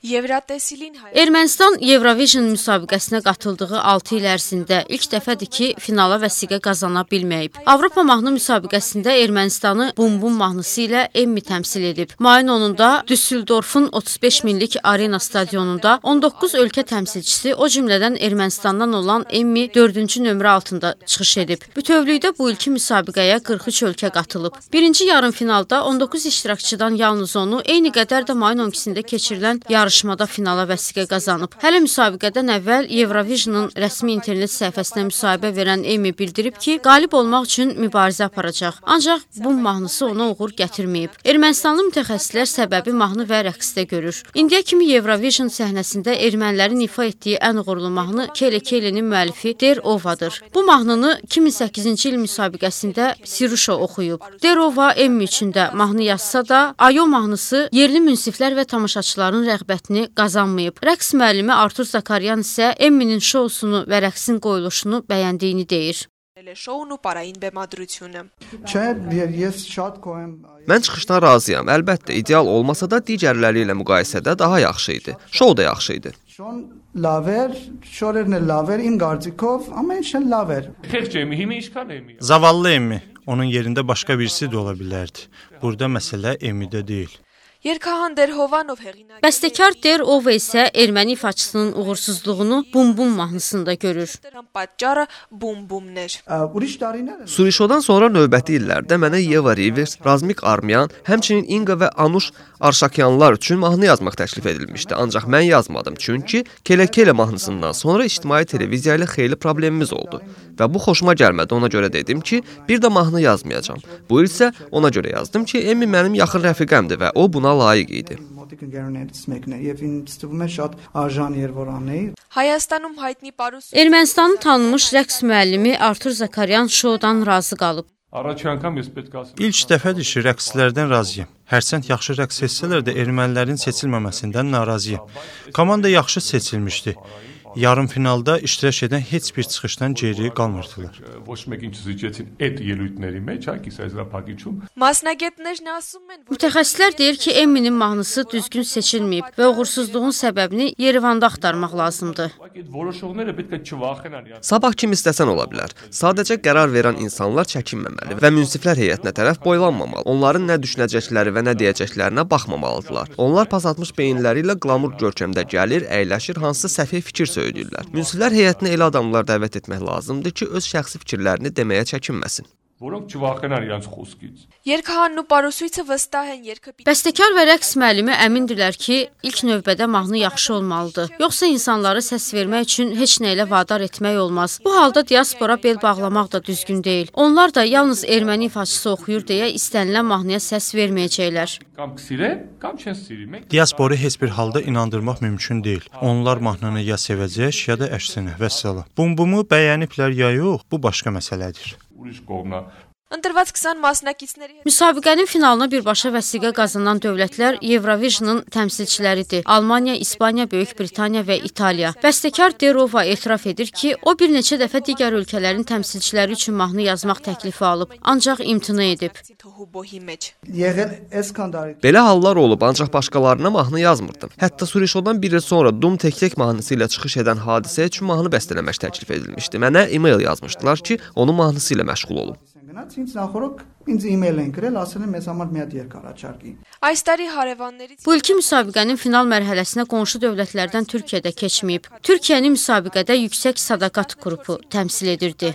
Ermənistan Eurovision müsabiqəsinə qatıldığı 6 il ərzində ilk dəfədir ki, finala vəsiqə qazana bilməyib. Avropa mahnı müsabiqəsində Ermənistanı Bum Bum mahnısı ilə Emmi təmsil edib. Mayın 10-da Düsseldorfun 35 minlik arena stadionunda 19 ölkə təmsilçisi, o cümlədən Ermənistandan olan Emmi 4-cü nömrə altında çıxış edib. Bütövlükdə bu ilki müsabiqəyə 43 ölkə qatılıb. Birinci yarım finalda 19 iştirakçıdan yalnız onu, eyni qədər də mayın 12-sində keçirilən yarışmada finala vəsiqə qazanıb. Hələ müsabiqədən əvvəl Eurovision'un rəsmi internet səhifəsinə müsahibə verən Emmi bildirib ki, qalib olmaq üçün mübarizə aparacaq. Ancaq bu mahnısı ona uğur gətirməyib. Ermənistanlı mütəxəssislər səbəbi mahnı və rəqsdə görür. İndiyə kimi Eurovision səhnəsində ermənilərin ifa etdiyi ən uğurlu mahnı Kele Kele'nin müəllifi Der Ova'dır. Bu mahnını 2008-ci il müsabiqəsində Siruşa oxuyub. Der Ova Emmi üçün də mahnı yazsa da, Ayo mahnısı yerli münsiflər və tamaşaçıların rəğbətini qazanmayıb. Rəqs müəllimi Artur Zakaryan isə Emminin şousunu və rəqsin qoyuluşunu bəyəndiyini deyir. Mən çıxışdan razıyam. Əlbəttə, ideal olmasa da digərləri ilə müqayisədə daha yaxşı idi. Şou da yaxşı idi. Zavallı Emmi. Onun yerində başqa birisi də ola bilərdi. Burada məsələ Emmidə deyil. Bəstəkar Der Ova isə erməni ifaçısının uğursuzluğunu Bum Bum mahnısında görür. Surişodan sonra növbəti illərdə mənə Yeva Rivers, Razmik Armyan, həmçinin Inga və Anuş Arşakyanlar üçün mahnı yazmaq təklif edilmişdi. Ancaq mən yazmadım, çünki Kele Kele mahnısından sonra ictimai televiziya ilə xeyli problemimiz oldu. Və bu xoşuma gəlmədi, ona görə dedim ki, bir də mahnı yazmayacağam. Bu il isə ona görə yazdım ki, Emmi mənim yaxın rəfiqəmdir və o buna layiq idi. Ermənistanın tanınmış rəqs müəllimi Artur Zakaryan şoudan razı qalıb. İlk dəfədir ki, rəqslərdən razıyam. Hərçənd yaxşı rəqs etsələr də ermənilərin seçilməməsindən narazıyam. Komanda yaxşı seçilmişdi. Yarım finalda iştirak edən heç bir çıxışdan geri qalmırdılar. Mütəxəssislər deyir ki, Emminin mahnısı düzgün seçilməyib və uğursuzluğun səbəbini Yerevanda axtarmaq lazımdır. Sabah kim istəsən ola bilər. Sadəcə qərar verən insanlar çəkinməməli və münsiflər heyətinə tərəf boylanmamalı. Onların nə düşünəcəkləri və nə deyəcəklərinə baxmamalıdırlar. Onlar pas atmış beyinləri ilə qlamur görkəmdə gəlir, əyləşir, hansısa səfih fikir söyləyirlər. Münsiflər heyətinə elə adamlar dəvət etmək lazımdır ki, öz şəxsi fikirlərini deməyə çəkinməsin. Bəstəkar və rəqs müəllimi əmindirlər ki, ilk növbədə mahnı yaxşı olmalıdır. Yoxsa insanları səs vermək üçün heç nə ilə vadar etmək olmaz. Bu halda diaspora bel bağlamaq da düzgün deyil. Onlar da yalnız erməni ifaçısı oxuyur deyə istənilən mahnıya səs verməyəcəklər. Diasporu heç bir halda inandırmaq mümkün deyil. Onlar mahnını ya sevəcək, ya da əksinə, vəssalam. Bum Bumu bəyəniblər ya yox, bu başqa məsələdir. Müsabiqənin finalına birbaşa vəsiqə qazanan dövlətlər Eurovision'un təmsilçiləridir. Almaniya, İspaniya, Böyük Britaniya və İtaliya. Bəstəkar Der Ova etiraf edir ki, o bir neçə dəfə digər ölkələrin təmsilçiləri üçün mahnı yazmaq təklifi alıb, ancaq imtina edib. Belə hallar olub, ancaq başqalarına mahnı yazmırdım. Hətta Surişodan bir il sonra Dum Tek mahnısı ilə çıxış edən hadisə üçün mahnı bəstələmək təklif edilmişdi. Mənə e-mail yazmışdılar ki, onun mahnısı ilə məşğul olum. Bu ilki müsabiqənin final mərhələsinə qonşu dövlətlərdən Türkiyədə keçməyib. Türkiyəni müsabiqədə Yüksək Sədaqət qrupu təmsil edirdi.